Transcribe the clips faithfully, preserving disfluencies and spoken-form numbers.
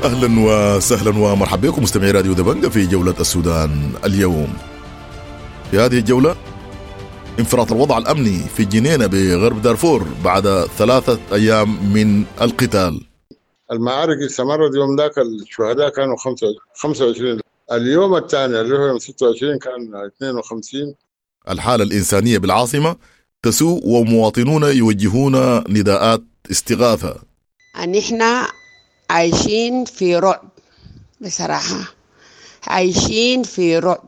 اهلا وسهلا ومرحبا بكم مستمعي راديو دبنجة في جولة السودان اليوم. في هذه الجولة انفراط الوضع الامني في الجنينة بغرب دارفور بعد ثلاثة ايام من القتال. المعارك استمرت يوم ذاك، الشهداء كانوا خمسة وعشرين، اليوم الثاني اللي هو يوم ستة وعشرين كان اثنين وخمسين. الحالة الإنسانية بالعاصمة تسوء ومواطنون يوجهون نداءات استغاثة. نحن عايشين في رعب بصراحة، عايشين في رعب.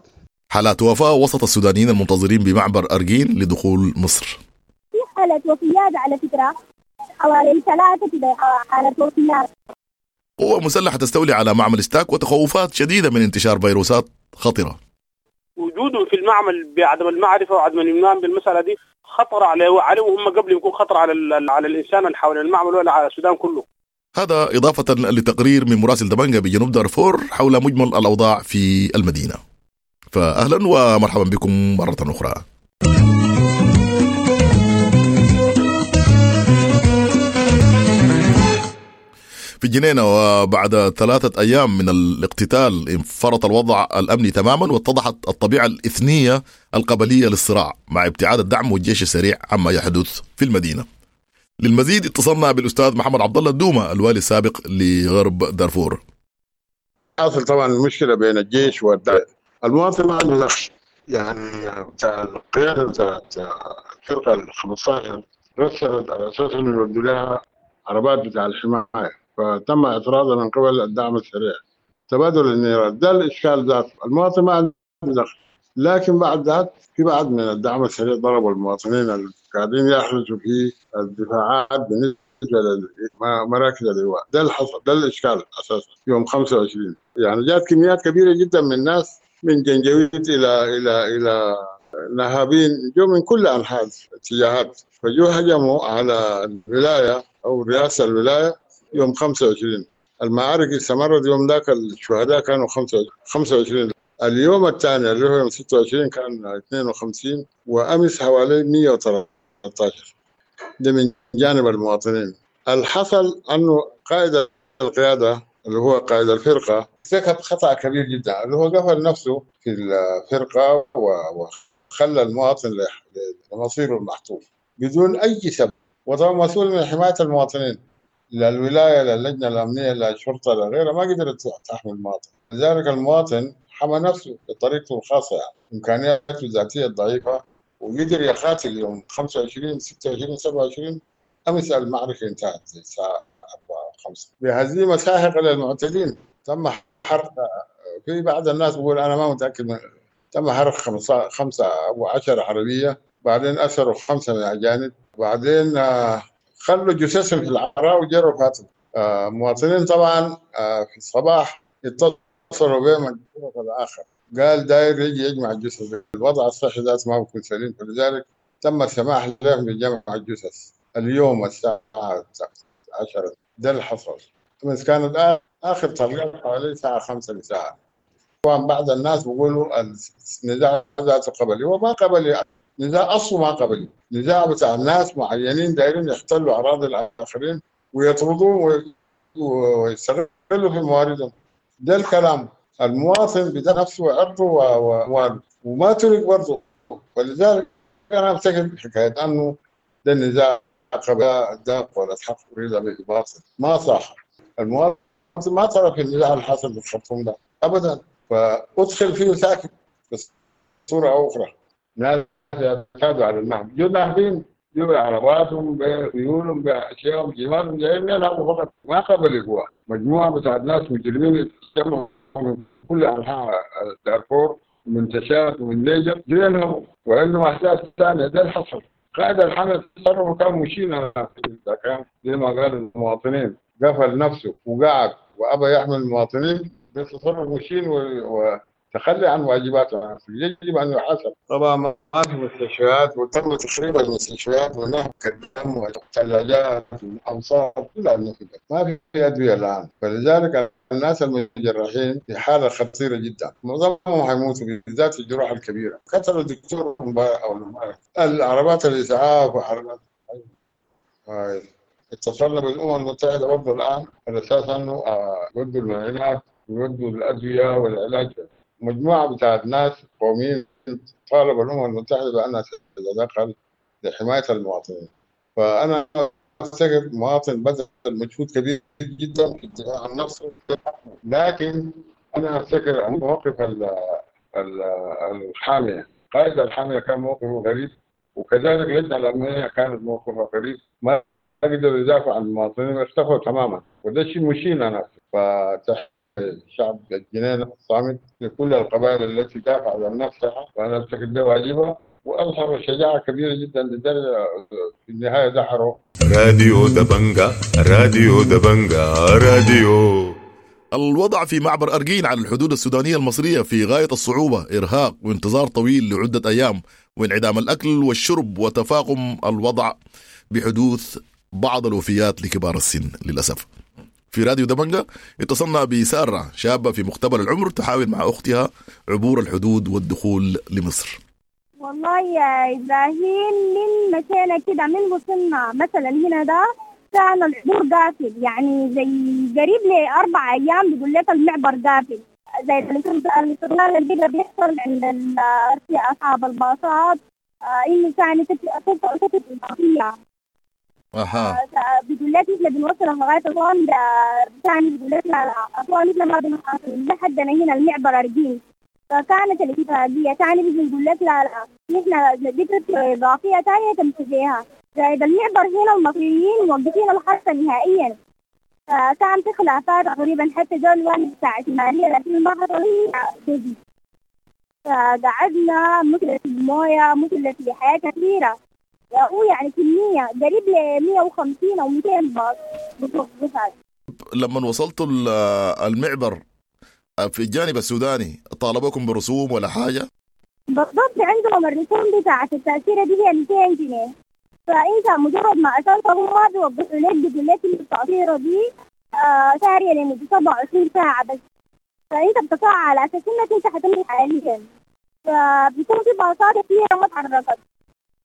حالات وفاة وسط السودانيين المنتظرين بمعبر أرجين لدخول مصر. في حالة وفيات على فكرة، حوالي ثلاثة كده حالة وفيات. قوة مسلحة تستولي على معمل ستاك وتخوفات شديدة من انتشار فيروسات خطرة. وجودهم في المعمل بعدم المعرفة وعدم الإيمان بالمسألة دي خطر عليه عليهم هم قبل يكون خطر على على الإنسان اللي حول المعمل ولا على السودان كله. هذا إضافة لتقرير من مراسل دبنجة بجنوب دارفور حول مجمل الأوضاع في المدينة. فأهلا ومرحبا بكم مرة أخرى. في الجنينة وبعد ثلاثة أيام من الاقتتال انفرط الوضع الأمني تماما، واتضحت الطبيعة الإثنية القبلية للصراع مع ابتعاد الدعم والجيش السريع عما يحدث في المدينة. للمزيد اتصلنا بالأستاذ محمد عبد الله الدومة الوالي السابق لغرب دارفور. حاصل طبعا المشكلة بين الجيش والدعم، المواطن ما عنده دخل، يعني القيادة بتاعت الفرقة ال خمسة عشر رسلت على أساس إنه يودوا لها عربات بتاع الحماية، فتم اعتراضها من قبل الدعم السريع، تبادل النيران، ده الإشكال ذاته، المواطن ما عنده دخل. لكن بعد ذاك في بعض من الدعم السريع ضربوا المواطنين اللي قاعدين يحرسوا في الدفاعات بالنسبة لمراكز اللواء، ده اللي حصل، ده الإشكال أساسا يوم خمسة وعشرين. يعني جات كميات كبيرة جدا من الناس من جنجويت إلى إلى إلى نهابين، جو من كل أنحاء الاتجاهات، فجو هجموا على الولاية أو رئاسة الولاية يوم خمسة وعشرين. المعارك استمرت يوم ذاك، الشهداء كانوا خمسة وعشرين، اليوم الثاني اللي هو يوم ستة وعشرين كان اثنين وخمسين، وأمس حوالي مئة وثلاثة عشر. ده من جانب المواطنين. الحصل أنه قائد القيادة اللي هو قائد الفرقة ارتكب خطأ كبير جدا، اللي هو قفل نفسه في الفرقة وخلى المواطن لمصيره المحتوم بدون أي سبب، وطبعا مسؤول من حماية المواطنين، لا الولاية لا اللجنة الأمنية لا الشرطة لا غيرها ما قدرت تحمي المواطن. لذلك المواطن حمى نفسه بطريقته الخاصة، يعني إمكانياته الذاتية الضعيفة، وقدر يقاتل يوم خمسة وعشرين ستة وعشرين سبعة وعشرين. أمس المعركة انتهت الساعة أربعة وخمسة بهزيمة ساحقة للمعتدين. تم حرق، في بعض الناس بيقول أنا ما متأكد من، تم حرق خمسة خمسة أو عشر عربية، بعدين أسروا خمسة من الأجانب، بعدين خلوا جثثهم في العراء وجروا فاتوا. مواطنين طبعا في الصباح اتصلوا بهم الطرف الآخر، قال داير يجي يجمع الجثث، الوضع الصحي ذات ما بيكون سليم، فلذلك تم السماح لهم بجمع الجثث اليوم الساعة عشرة. ده اللي حصل. بس كانت آخر طلقات حوالي الساعة خمسة لساعة. طبعا بعض الناس بيقولوا النزاع ذاته قبلي، هو ما قبلي، نزاع أصله ما قبلي، نزاع بتاع ناس معينين دايرين يحتلوا أراضي الآخرين ويطردوهم ويستغلوا في مواردهم. ده الكلام. المواطن بدا نفسه وعرضه وأمواله وما ترك برضه، ولذلك أنا أفتكر حكاية أنه ده النزاع ده ولا حق أريد به باطل، ما صح. المواطن ما ترك النزاع اللي حصل في الخرطوم ده أبدا، فأدخل فيه ساكت بصورة أو أخرى. ناس يعتادوا على النهب، جو ناهبين، جو عرباتهم بخيولهم بأشيائهم جمالهم جايين يلعبوا فقط، ما قبل هو مجموعة بتاعت ناس مجرمين اجتمعوا من كل أنحاء دارفور، من تشاد ومن نيجر، جو ينهبوا وعندهم أحداث ثانية. ده اللي حصل. قائد الحملة تصرفه كان مشينا، كان زي ما قال المواطنين قفل نفسه وقعد وأبى يحمل المواطنين، ده تصرف مشين وتخلي عن واجباته، يجب أن يحاسب. طبعا ما في مستشفيات، وتم تخريب المستشفيات ونهب الدم والثلاجات والأمصار كلها نهبت، ما في أدوية الآن. فلذلك الناس المجرحين في حالة خطيرة جدا، معظمهم حيموتوا بالذات الجروح الكبيرة. قتلوا الدكتور امبارح أو العربات الإسعاف وعربات اتصلنا بالامم المتحدة برضه الان على اساس انه يودوا المعونات ويودوا الادوية والعلاج. مجموعة بتاعت ناس قوميين طالبوا الامم المتحدة بانها تتدخل لحماية المواطنين. فانا افتكر مواطن بذل مجهود كبير جدا في الدفاع عن نفسه، لكن انا افتكر موقف الحامية، قائد الحامية كان موقفه غريب، وكذلك اللجنة الامنية كانت موقفها غريب، ما قدروا يدافعوا عن المواطنين واختفوا تماما، وده شيء مشين انا. فتحية الشعب الجنينة الصامت لكل القبائل التي دافعت عن نفسها، وانا افتكر ده واجبها، واظهروا شجاعة كبيرة جدا لدرجة في النهاية دحروا. راديو دبنجا، راديو دبنجا، راديو. الوضع في معبر أرجين على الحدود السودانية المصرية في غاية الصعوبة، إرهاق وانتظار طويل لعدة أيام، وانعدام الأكل والشرب، وتفاقم الوضع بحدوث بعض الوفيات لكبار السن للأسف. في راديو دبنجا اتصلنا بسارة، شابة في مقتبل العمر، تحاول مع أختها عبور الحدود والدخول لمصر. والله يا إبراهيم من مشينا كده من وصلنا مثلا هنا ده كان العبور قافل، يعني زي قريب لأربع أيام بيقول لك المعبر قافل، زي الاستغلال اللي بيحصل عند أصحاب الباصات، إنه ثاني تفتح إضافية. أها. بيقول لك إحنا بنوصل لغاية أسوان، ثاني بيقول لك لا لا أسوان إحنا ما بنوصل لحدنا هنا المعبر أرجين. فكانت الاتفاقية ثاني بيجي يقول لك لا لا نحن ذكرت إضافية ثانية تمشي زائد المعبر هنا المصريين موقفين الحركة نهائيا. فكان في خلافات تقريبا حتى جول واحد بتاع شمالية، لكن ما حصل هي. فقعدنا مثل في الموية، مثل في حياة كثيرة، هو يعني كمية قريب ل مية وخمسين أو مئتين باص بتوقفات. لما وصلتوا المعبر في الجانب السوداني طالبوكم برسوم ولا حاجة؟ بالضبط، عندهم الرسوم بتاعة التأشيرة دي هي مئتين جنيه، فأنت مجرد ما أسألتهم ما بيوضحوا لك، بيقول لك إن التأشيرة دي آه سارية لمدة سبعة وعشرين ساعة بس، فأنت بتقع على أساس إنك أنت حتمشي حاليا. فبيكون في باصات كثيرة ما تحركت،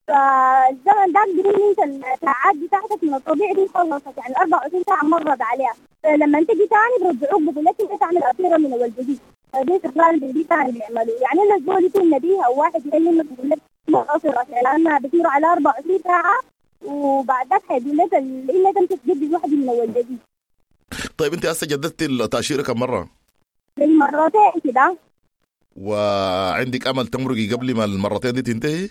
فالزمن ده بيقول انت الساعات بتاعتك من الطبيعي دي خلصت، يعني أربعة وعشرين ساعة مرت عليها. لما تجي تاني برجعوك بيقول لك انت تعمل أسيرة من اول جديد، دي استغلال جديد ثاني بيعملوه. يعني الزول يكون نبيه او واحد يكلمك يقول لك ما أسيرة، لانها بتصير على أربعة وعشرين ساعة، وبعد ذاك حيقول لك الا انت تجدد واحدة من اول جديد. طيب انت هسه جددتي التأشيرة كم مرة؟ مرتين كده. وعندك امل تمرقي قبل ما المرتين دي تنتهي؟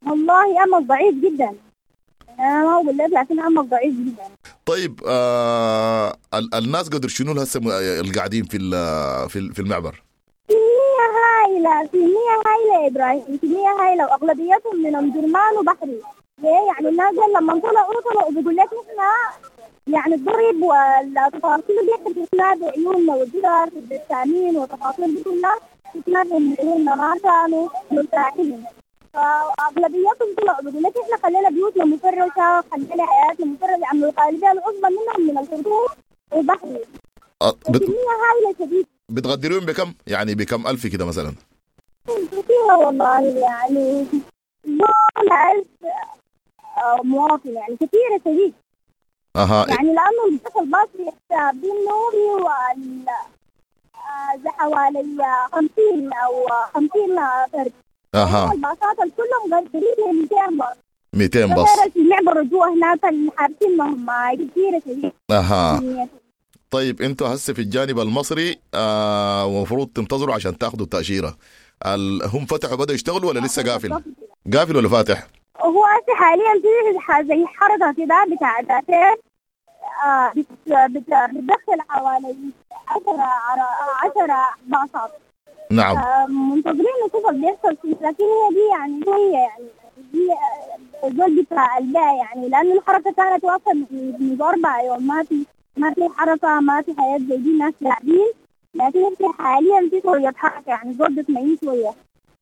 والله امل ضعيف جدا، انا ما اقول لك لكن امل ضعيف جدا. طيب آه الناس قدر شنو هسه القاعدين في في في المعبر؟ كمية هائلة، كمية هائلة يا ابراهيم، كمية هائلة، واغلبيتهم من ام درمان وبحري. ليه؟ يعني الناس لما طلعوا طلعوا بيقول لك نحن يعني الضرب والتفاصيل دي احنا شفناها بعيوننا، والجدار في التامين والتفاصيل دي كلها شفناها بعيوننا، ما كانوا مرتاحين. فأغلبيتهم طلعوا بيقول لك احنا خلينا بيوتنا مفرشة، خلينا حياتنا مفرشة، يعني الغالبية العظمى منهم من الخرطوم وبحري. بت... كمية هائلة شديد. بتغدرون بكم؟ يعني بكم ألف كده مثلا؟ كثيرة والله، يعني دون ألف مواطن، يعني كثيرة شديد. أها. يعني لأنه الباص الباص بيحساب بالنوري وال حوالي خمسين أو خمسين فرد. اها. الباصات كلهم قريب من مئتين باص. مئتين باص. في المعبر جوا هناك اللي حابسينهم كثيرة شديد. اها. طيب انتوا هسه في الجانب المصري آه ومفروض تنتظروا عشان تاخذوا التأشيرة. هم فتحوا بدأوا يشتغلوا ولا لسه قافل؟ قافل ولا فاتح؟ هو هسه حاليا في زي حركة كده بتاع تأشيرة آه بتدخل حوالي عشرة عشرة باصات. نعم. منتظرين نشوف اللي بيحصل، لكن هي دي يعني هي يعني دي زول بتاع الباء، يعني لأن الحركة كانت واقفة من أربع يوم، ما في ما في حركة، ما في حياة زي دي، الناس قاعدين، لكن في حاليا في شوية حركة، يعني زول بتميز شوية.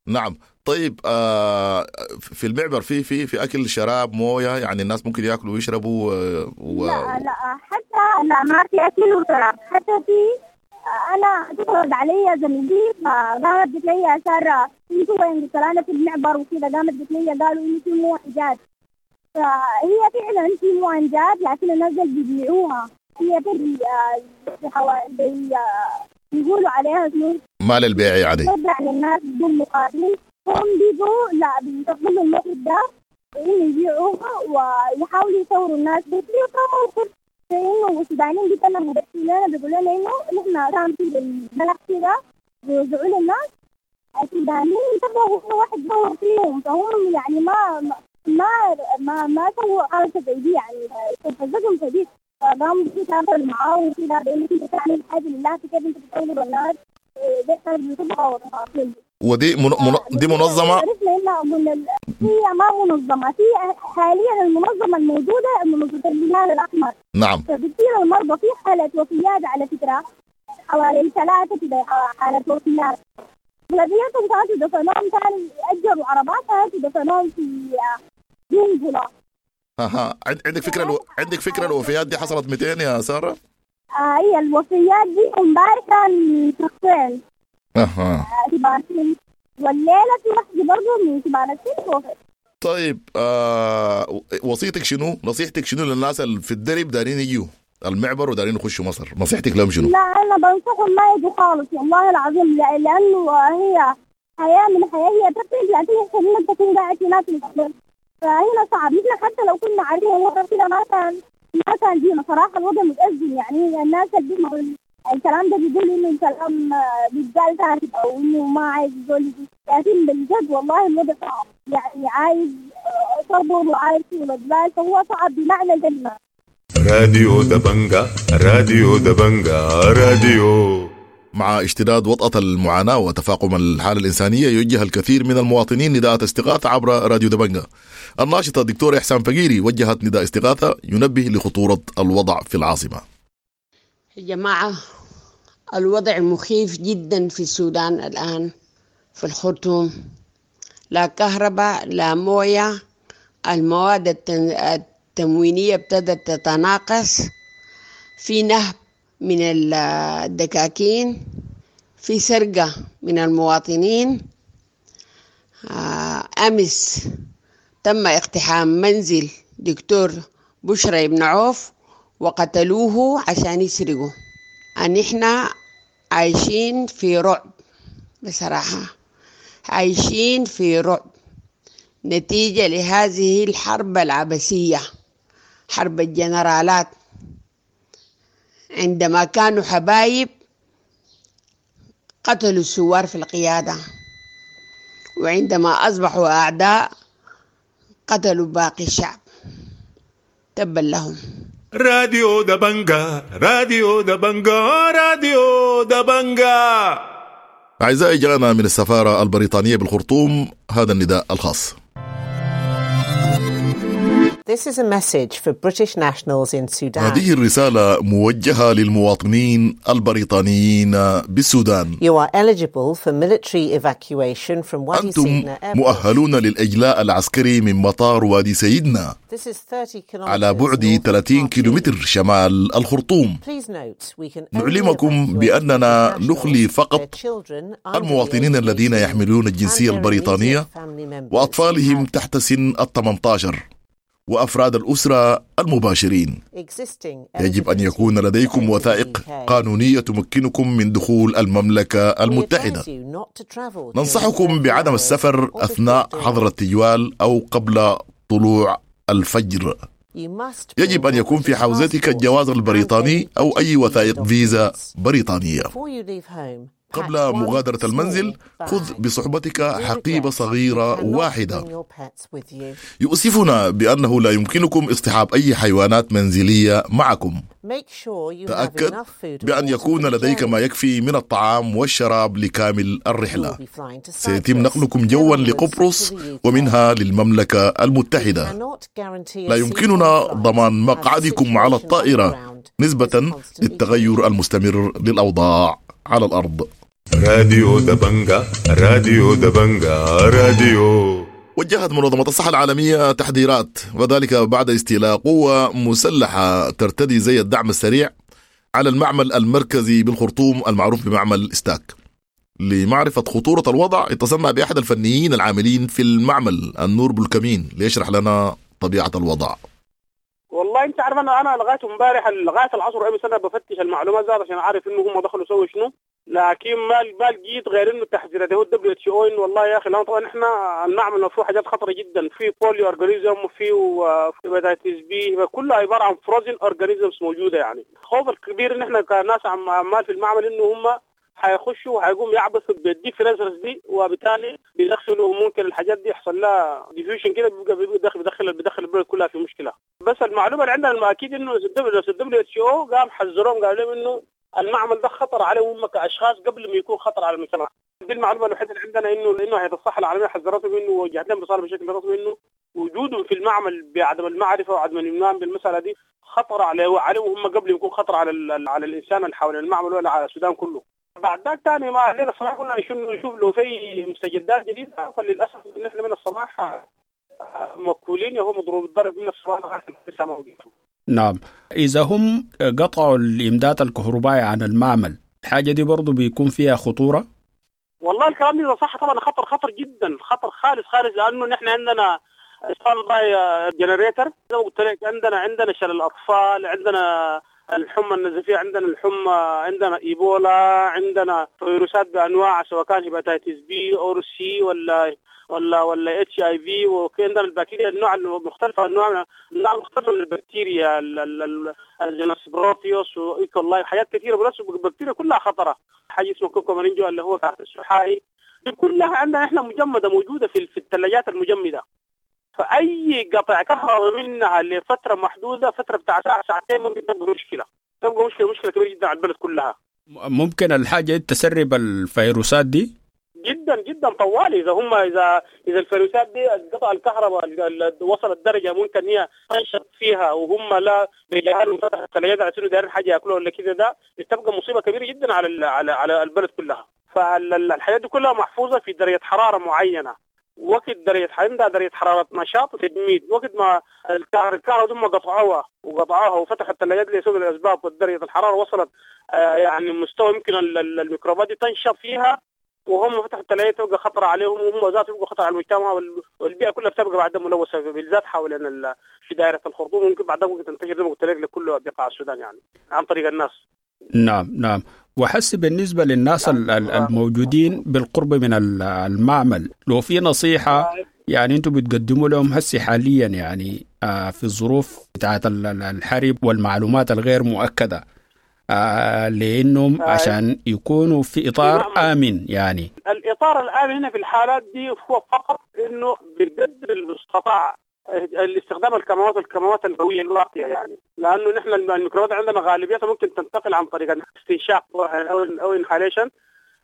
نعم. طيب آه في المعبر في في في اكل شراب مويه، يعني الناس ممكن ياكلوا ويشربوا و... لا لا حتى لا ما في اكل وشراب، حتى في انا اتصلت علي زميلتي فقامت قلت لي يا ساره انتوا وين؟ قلت لها انا في المعبر وكذا. قامت قلت لي قالوا انه في مويه جات، فهي فعلا في مؤنجات لكن الناس بيبيعوها، هي تري حوالي بيقولوا عليها شنو؟ ما للبيع يعني، ترجع للناس بدون مقابل. هم بيجوا لا بيستغلوا الموقف ده إنه يبيعوها ويحاولوا يصوروا الناس بس. موقف إنه السودانيين بيتكلموا بس لنا بيقولوا لنا إنه نحن كان في البلد كده بيوزعوا للناس السودانيين انتبهوا إنه واحد صور فيهم، فهم يعني ما ما ما ما سووا حركة زي دي يعني، استفزتهم شديد. فقاموا بيتعاملوا معاه وكده بإنه أنت بتعمل حاجة لله، كيف أنت بتصور الناس ده بتبقى وتفاصيل. ودي من... من... دي منظمة؟ عرفنا إنها من ال... هي ما منظمة، في حاليا المنظمة الموجودة منظمة الهلال الأحمر. نعم. فبتصير المرضى في حالة وفيات على فكرة، حوالي ثلاثة كده حالة وفيات. أغلبيتهم كانوا دفنوهم، كانوا أجروا عربات كانوا دفنوهم في جنجلة. اها، عندك فكرة الو... عندك فكرة الوفيات دي حصلت مئتين يا سارة؟ آه هي الوفيات دي امبارح كان شخصين. اها. كبار سن، والليلة في واحدة برضه من كبار السن وفت. طيب آه وصيتك شنو؟ نصيحتك شنو للناس اللي في الدرب دارين يجوا المعبر ودارين يخشوا مصر؟ نصيحتك لهم شنو؟ لا أنا بنصحهم ما يجوا خالص والله العظيم، لأنه هي حياة من حياة، هي تفرق لكن إنك تكون قاعد هناك في الأرض، فهنا صعب. نحن حتى لو كنا عارفين الوضع كده ما كان ما كان جينا صراحة. الوضع متأزم يعني، الناس اللي الكلام ده بيقول إنه الكلام بيتقال ثابت أو إنه ما عايز زول يجي، لكن بالجد والله الوضع صعب يعني، عايز صبر وعايز طولة، فهو صعب بمعنى الكلمة. راديو دبنجا، راديو دبنجا، راديو. مع اشتداد وطأة المعاناة وتفاقم الحالة الإنسانية يوجه الكثير من المواطنين نداءات استغاثة عبر راديو دبنجا. الناشطة الدكتورة إحسان فقيري وجهت نداء استغاثة ينبه لخطورة الوضع في العاصمة. يا جماعة الوضع مخيف جدا في السودان الآن، في الخرطوم لا كهرباء لا موية، المواد التموينية ابتدت تتناقص، في نهب من الدكاكين، في سرقة من المواطنين. أمس تم اقتحام منزل دكتور بشرى بن عوف وقتلوه عشان يسرقوا. أن إحنا عايشين في رعب بصراحة، عايشين في رعب نتيجة لهذه الحرب العبثية، حرب الجنرالات. عندما كانوا حبايب قتلوا الثوار في القيادة، وعندما أصبحوا أعداء قتلوا باقي الشعب. تبا لهم. راديو دبنجا، راديو دبنجا، راديو دبنجا. أعزائي، جاءنا من السفارة البريطانية بالخرطوم هذا النداء الخاص. This is a message for British nationals in Sudan. هذه الرسالة موجهة للمواطنين البريطانيين بالسودان. You are eligible for military evacuation from Wadi أنتم Sidna Airport. مؤهلون للإجلاء العسكري من مطار وادي سيدنا This is thirty kilometers على بعد north of ثلاثين Khartoum. كيلومتر شمال الخرطوم. Please note, we can only نعلمكم evacuate بأننا nationals, نخلي فقط their children under the المواطنين age of الذين eighteen يحملون الجنسية and their البريطانية immediate family members وأطفالهم who have تحت سن الثمانية عشر وأفراد الأسرة المباشرين. existing يجب أن يكون eligibility لديكم to enter the وثائق U K. قانونية تمكنكم من دخول المملكة We المتحدة. advise you not to travel during ننصحكم curfew بعدم hours السفر or before أثناء dawn. حظر التجوال أو قبل طلوع الفجر. You must يجب bring أن your يكون في British حوزتك passport الجواز and البريطاني any أو أي British وثائق visa فيزا documents. بريطانية. Before you leave home, pack قبل one مغادرة المنزل small خذ bag. بصحبتك We حقيبة regret you صغيرة cannot واحدة. bring your pets with you. يؤسفنا بأنه لا يمكنكم اصطحاب أي حيوانات منزلية معكم. Make sure you have تأكد enough food and بأن water يكون for the لديك journey. ما يكفي من الطعام والشراب لكامل You will الرحلة. be flying to سيتم Cyprus, نقلكم then جوا onwards to لقبرص the U K. ومنها للمملكة We المتحدة. cannot guarantee a لا seat on يمكننا the flight ضمان as the مقعدكم على situation on the الطائرة ground is نسبة constantly للتغير changing. المستمر للأوضاع على الأرض. راديو دبنجا، راديو دبنجا، راديو. وجهت منظمة الصحة العالمية تحذيرات، وذلك بعد استيلاء قوة مسلحة ترتدي زي الدعم السريع على المعمل المركزي بالخرطوم المعروف بمعمل ستاك. لمعرفة خطورة الوضع اتصلنا بأحد الفنيين العاملين في المعمل النور بولكمين ليشرح لنا طبيعة الوضع؟ والله انت عارف انا انا لغاية امبارح لغاية العصر امس انا بفتش المعلومات ذات عشان اعرف انه هم دخلوا سووا شنو، لكن ما ما لقيت غير انه تحذيرات هو ال WHO انه والله يا اخي لو طبعا احنا المعمل فيه حاجات خطره جدا، في polio organism وفي hepatitis B، كلها عبارة عن frozen organisms موجودة. يعني الخوف الكبير ان احنا كناس عمال في المعمل انه هم حيخشوا وحيقوم يعبثوا بال deep freezers دي، وبالتالي بيدخلوا ممكن الحاجات دي يحصل لها diffusion كده، بيبقى بيدخل بيدخل بيدخل البلد كلها في مشكلة. بس المعلومة اللي عندنا الاكيد انه ال WHO قام حذروهم قالوا لهم انه المعمل ده خطر عليهم هم كاشخاص قبل ما يكون خطر على المجتمع. دي المعلومة الوحيدة اللي عندنا، انه انه هيئة الصحة العالمية حذرتهم انه وجهت لهم رسالة بشكل رسمي انه وجودهم في المعمل بعدم المعرفة وعدم الايمان بالمسالة دي خطر عليه عليهم هم قبل ما يكون خطر على على الانسان اللي حول المعمل ولا على السودان كله. بعد ذاك ثاني ما الليلة الصباح قلنا نشوف لو في مستجدات جديدة، فللاسف نحن من الصباح مكولين وهو مضروب الضرب من الصباح لغاية لسه ما وقفوا. نعم، إذا هم قطعوا الإمداد الكهربائي عن المعمل، الحاجة دي برضو بيكون فيها خطورة؟ والله الكلام ده صح طبعا، خطر خطر جدا، خطر خالص خالص، لأنه نحن عندنا standby generator زي ما قلت لك، عندنا عندنا شلل الأطفال، عندنا الحمى النزفية، عندنا الحمى، عندنا إيبولا، عندنا فيروسات بأنواع سواء كان hepatitis B أو C ولا ولا ولا HIV، وعندنا البكتيريا النوع المختلفة، النوع النوع المختلفة من البكتيريا ال genus Proteus و E. coli، حاجات كثيرة، بس البكتيريا كلها خطره. حاجة اسمه cocci اللي هو السحائي، دي كلها عندنا احنا مجمده موجودة في في الثلاجات المجمده. فاي قطع كهرباء منها لفترة محدودة، فترة بتاع ساعة ساعتين، ممكن تبقى مشكلة، تبقى مشكلة مشكلة كبيرة جدا على البلد كلها. ممكن الحاجة تسرب الفيروسات دي جدا جدا طوالي. اذا هم اذا اذا الفيروسات دي قطع الكهرباء وصلت درجه ممكن هي تنشط فيها وهم لا بيجهلوا فتح الثلاجات على انه دايرين حاجة ياكلوها ولا كده، ده تبقى مصيبة كبيرة جدا على على على البلد كلها. فالحاجات دي كلها محفوظة في درجه حرارة معينة، وقت درجه عندها درجه حرارة نشاط وتجميد، وقت ما الكهرباء هم قطعوها وقطعوها وفتحوا الثلاجات لسبب الاسباب ودرجة الحرارة وصلت يعني مستوى يمكن الميكروبات دي تنشط فيها، وهم فتحوا الثلاجات تبقى خطر عليهم، وهم ذاتهم يبقوا خطر على المجتمع والبيئة كلها بتبقى بعدها ملوثة، بالذات حوالين في دائرة الخرطوم، ممكن بعدها ممكن تنتشر زي ما قلت لك لكل بقاع السودان يعني عن طريق الناس. نعم نعم. وحس بالنسبة للناس الموجودين بالقرب من المعمل، لو في نصيحة يعني انتم بتقدموا لهم هسي حاليا يعني في الظروف بتاعت الحرب والمعلومات الغير مؤكدة، آه لانهم عشان يكونوا في اطار امن، يعني الاطار الامن هنا في الحالات دي هو فقط انه بقدر المستطاع الاستخدام الكمامات الكمامات القوية الواقيه، يعني لانه نحن الميكروبات عندنا غالبيتها ممكن تنتقل عن طريق الاستنشاق او او inhalation،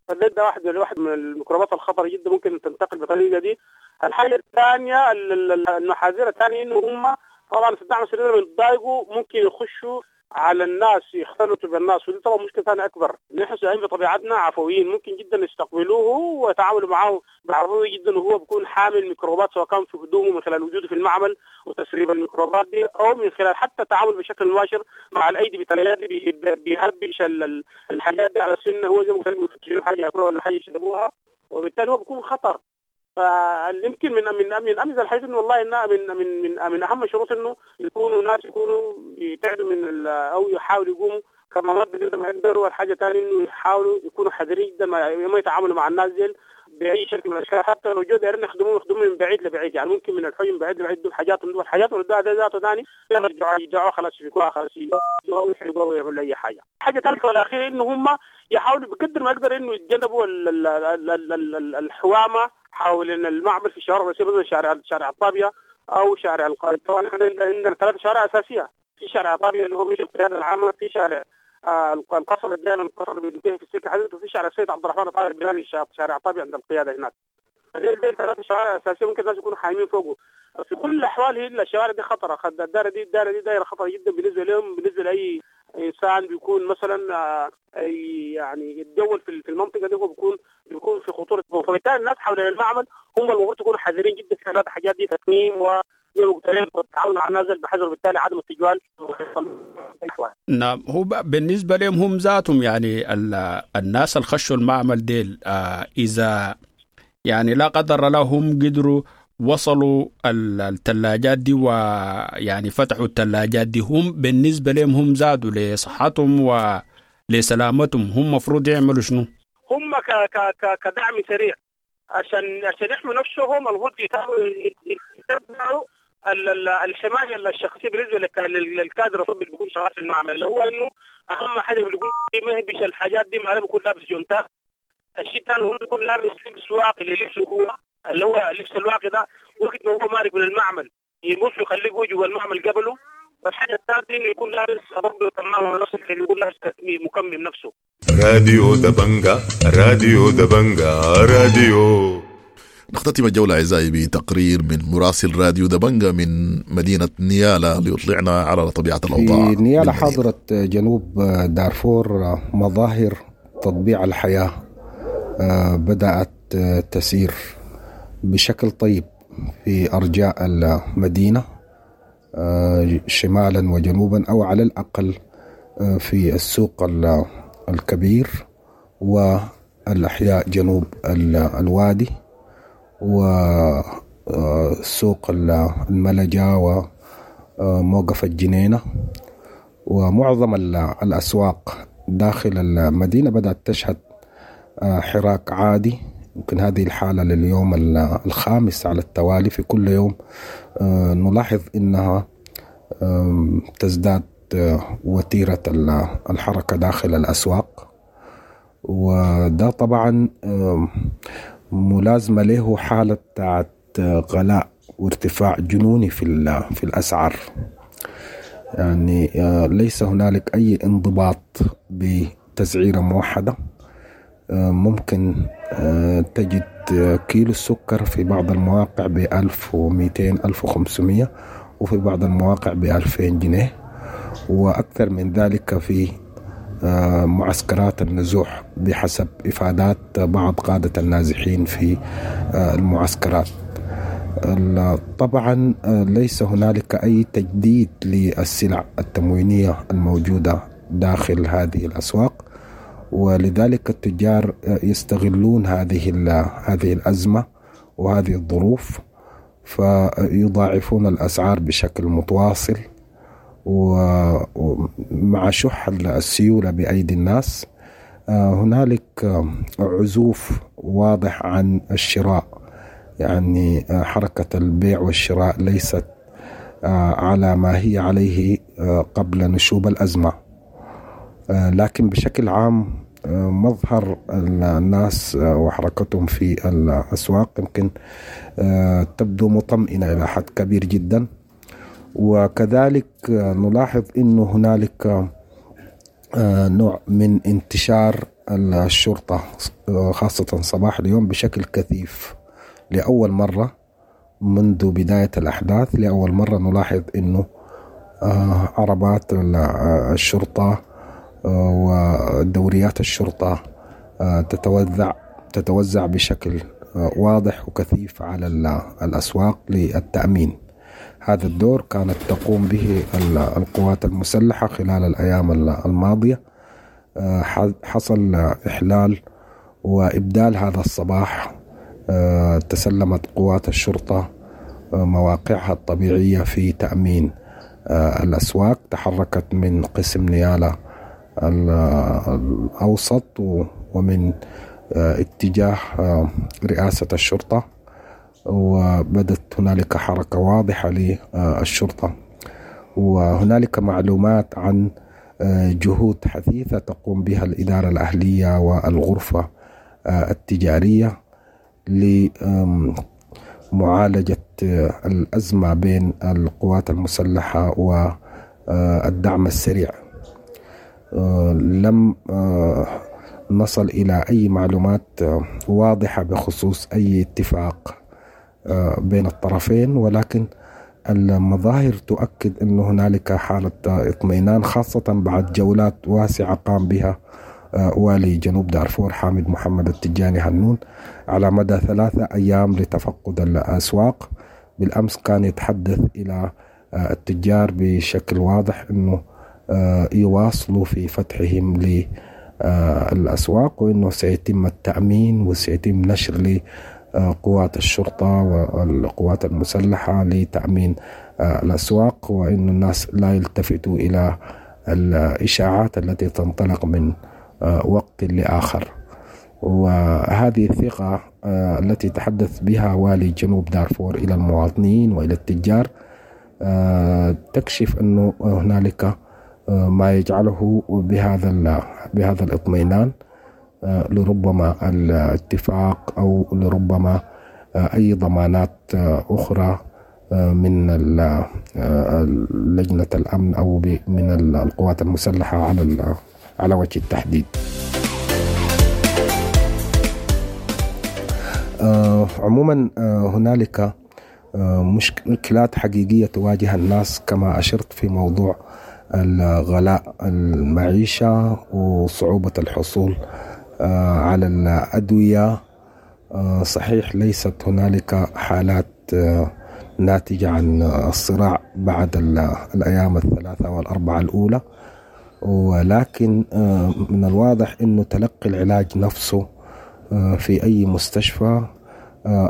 فده ده واحد واحد من الميكروبات الخطرة جدا ممكن تنتقل بالطريقة دي. الحاجة الثانية المحاذير الثانية انه هم طبعا في الدعم السريع بيتضايقوا ممكن يخشوا على الناس، يختلطوا بالناس، ودي طبعا مشكلة ثانية اكبر. نحن سعيد بطبيعتنا عفويين، ممكن جدا يستقبلوه ويتعاملوا معه بعفويه جدا، وهو بيكون حامل ميكروبات سواء كان في هدومه من خلال وجوده في المعمل وتسريب الميكروبات دي، او من خلال حتى التعامل بشكل مباشر مع الايدي بالثلاجات بيهبش الحاجات دي على السنة، هو زي ما قلت حاجة ياكلوها ولا حاجة يشربوها، وبالتالي هو بيكون خطر. فيمكن من من من امثل الحديث انه والله انها من من من من اهم الشروط انه يكونوا ناس يكونوا يبتعدوا من او يحاولوا يقوموا كمامات بقدر ما يقدروا. والحاجة الثانية انه يحاولوا يكونوا حذرين جدا ما يتعاملوا مع الناس ديل باي شكل من الاشكال، حتى لو جو دايرين يخدموهم يخدموهم من بعيد لبعيد، يعني ممكن من الحي من بعيد لبعيد دول حاجات من دول حاجات وده ذاته ثاني يرجعوا يرجعوا خلاص يفكوها خلاص يحرقوها ويعملوا اي حاجة. الحاجة الثالثة والاخيرة انه هم يحاولوا بقدر ما يقدر انه يتجنبوا الحوامه حول المعمل في الشوارع الرئيسية، مثلا شارع شارع الطابيه او شارع القائد. طبعا احنا عندنا ثلاث شوارع اساسية، في شارع الطابيه اللي هو مش القيادة العامة، في شارع آه القصر الجانب القصر اللي بينتهي في السكة حديد، وفي شارع السيد عبد الرحمن الطاهر البلالي شارع الطابيه عند القيادة هناك. دي ثلاث شوارع اساسية ممكن الناس يكونوا حايمين فوقه. في كل الاحوال هي الشوارع دي خطره، الدائرة دي الدائرة دي دائرة خطره جدا بالنسبة لهم، بالنسبة لاي انسان بيكون مثلا يعني يتجول في المنطقة دي هو بيكون بيكون في خطورة. فبالتالي الناس حول المعمل هم المفروض يكونوا حذرين جدا في هذه الحاجات دي، تكميم و والتعاون مع الناس بحذر، وبالتالي عدم التجوال. نعم، هو بالنسبة لهم هم ذاتهم يعني الناس اللي خشوا المعمل ديل آه اذا يعني لا قدر الله هم قدروا وصلوا الثلاجات دي ويعني فتحوا الثلاجات دي، هم بالنسبة لهم هم زادوا لصحتهم ولسلامتهم، هم مفروض يعملوا شنو؟ هم ك ك ك كدعم سريع عشان عشان يحموا نفسهم المفروض يتبعوا الحماية الشخصية بالنسبة للكادر الطبي اللي بيكون شغال في المعمل، اللي هو انه اهم حاجة بيكون ما يهبش الحاجات دي، ما بيكون لابس جونتات. الشيء الثاني هو بيكون لابس لبس واقي للبسه هو اللي هو اللبس الواقي ده وقت ما هو مارق من المعمل يمشي يخليه هو جوا المعمل قبله. والحاجة الثالثة انه يكون لابس برضه كمامه نفسه، يكون لابس مكمم نفسه. راديو دبنجا، راديو دبنجا، راديو. نختتم الجولة أعزائي بتقرير من مراسل راديو دبنجا من مدينة نيالا ليطلعنا على طبيعة الأوضاع. في نيالا حاضرة جنوب دارفور مظاهر تطبيع الحياة بدأت تسير بشكل طيب في أرجاء المدينة شمالا وجنوبا، أو على الأقل في السوق الكبير والأحياء جنوب الوادي وسوق الملجا وموقف الجنينة، ومعظم الأسواق داخل المدينة بدأت تشهد حراك عادي. يمكن هذه الحالة لليوم الخامس على التوالي، في كل يوم نلاحظ أنها تزداد وتيرة الحركة داخل الأسواق، وده طبعا ملازمة له حالة بتاعت غلاء وارتفاع جنوني في في الأسعار. يعني ليس هنالك أي انضباط بتسعيرة موحدة. ممكن تجد كيلو السكر في بعض المواقع بألف ومئتين ألف وخمسمية، وفي بعض المواقع بألفين جنيه، وأكثر من ذلك في معسكرات النزوح بحسب إفادات بعض قادة النازحين في المعسكرات. طبعا ليس هنالك أي تجديد للسلع التموينية الموجودة داخل هذه الأسواق، ولذلك التجار يستغلون هذه هذه الأزمة وهذه الظروف، فيضاعفون الأسعار بشكل متواصل، ومع شح السيولة بأيدي الناس هنالك عزوف واضح عن الشراء. يعني حركة البيع والشراء ليست على ما هي عليه قبل نشوب الأزمة، لكن بشكل عام مظهر الناس وحركتهم في الأسواق يمكن تبدو مطمئنة إلى حد كبير جدا. وكذلك نلاحظ أنه هنالك نوع من انتشار الشرطة خاصة صباح اليوم بشكل كثيف لأول مرة منذ بداية الأحداث. لأول مرة نلاحظ أنه عربات الشرطة ودوريات الشرطة تتوزع تتوزع بشكل واضح وكثيف على الأسواق للتأمين. هذا الدور كانت تقوم به القوات المسلحة خلال الأيام الماضية. حصل إحلال وإبدال هذا الصباح، تسلمت قوات الشرطة مواقعها الطبيعية في تأمين الأسواق. تحركت من قسم نيالا الأوسط ومن اتجاه رئاسة الشرطة، وبدت هنالك حركة واضحة للشرطة. وهنالك معلومات عن جهود حثيثة تقوم بها الإدارة الأهلية والغرفة التجارية لمعالجة الأزمة بين القوات المسلحة والدعم السريع. لم نصل إلى أي معلومات واضحة بخصوص أي اتفاق بين الطرفين، ولكن المظاهر تؤكد أن هنالك حالة اطمئنان، خاصة بعد جولات واسعة قام بها والي جنوب دارفور حامد محمد التجاني هنون على مدى ثلاثة أيام لتفقد الأسواق. بالأمس كان يتحدث إلى التجار بشكل واضح أنه يواصلوا في فتحهم للأسواق، وأنه سيتم التأمين وسيتم نشر قوات الشرطة والقوات المسلحة لتأمين الأسواق، وأن الناس لا يلتفتوا إلى الإشاعات التي تنطلق من وقت لآخر. وهذه الثقة التي تحدث بها والي جنوب دارفور إلى المواطنين وإلى التجار تكشف أنه هنالك ما يجعله بهذا بهذا الاطمئنان، لربما الاتفاق أو لربما أي ضمانات أخرى من لجنة الأمن أو من القوات المسلحة على على وجه التحديد. عموما هنالك مشكلات حقيقية تواجه الناس كما أشرت في موضوع الغلاء المعيشة وصعوبة الحصول على الأدوية. صحيح ليست هنالك حالات ناتجة عن الصراع بعد الأيام الثلاثة والأربعة الأولى، ولكن من الواضح أنه تلقي العلاج نفسه في أي مستشفى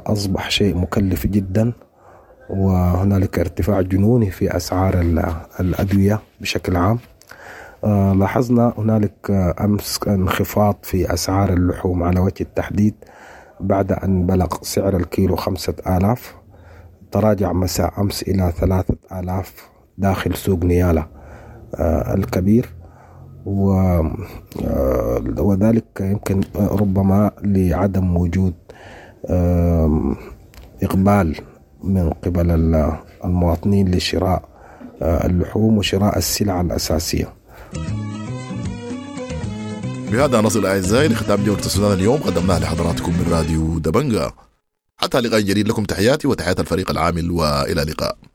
أصبح شيء مكلف جدا، وهنالك ارتفاع جنوني في أسعار الأدوية بشكل عام. لاحظنا هنالك أمس انخفاض في أسعار اللحوم على وجه التحديد بعد أن بلغ سعر الكيلو خمسة آلاف، تراجع مساء أمس إلى ثلاثة آلاف داخل سوق نيالا الكبير، وذلك يمكن ربما لعدم وجود إقبال من قبل المواطنين لشراء اللحوم وشراء السلع الأساسية. بهذا نصل أعزائي لختام جولة السودان اليوم قدمناها لحضراتكم من راديو دبنجا. حتى لقاء جديد، لكم تحياتي وتحيات الفريق العامل، وإلى اللقاء.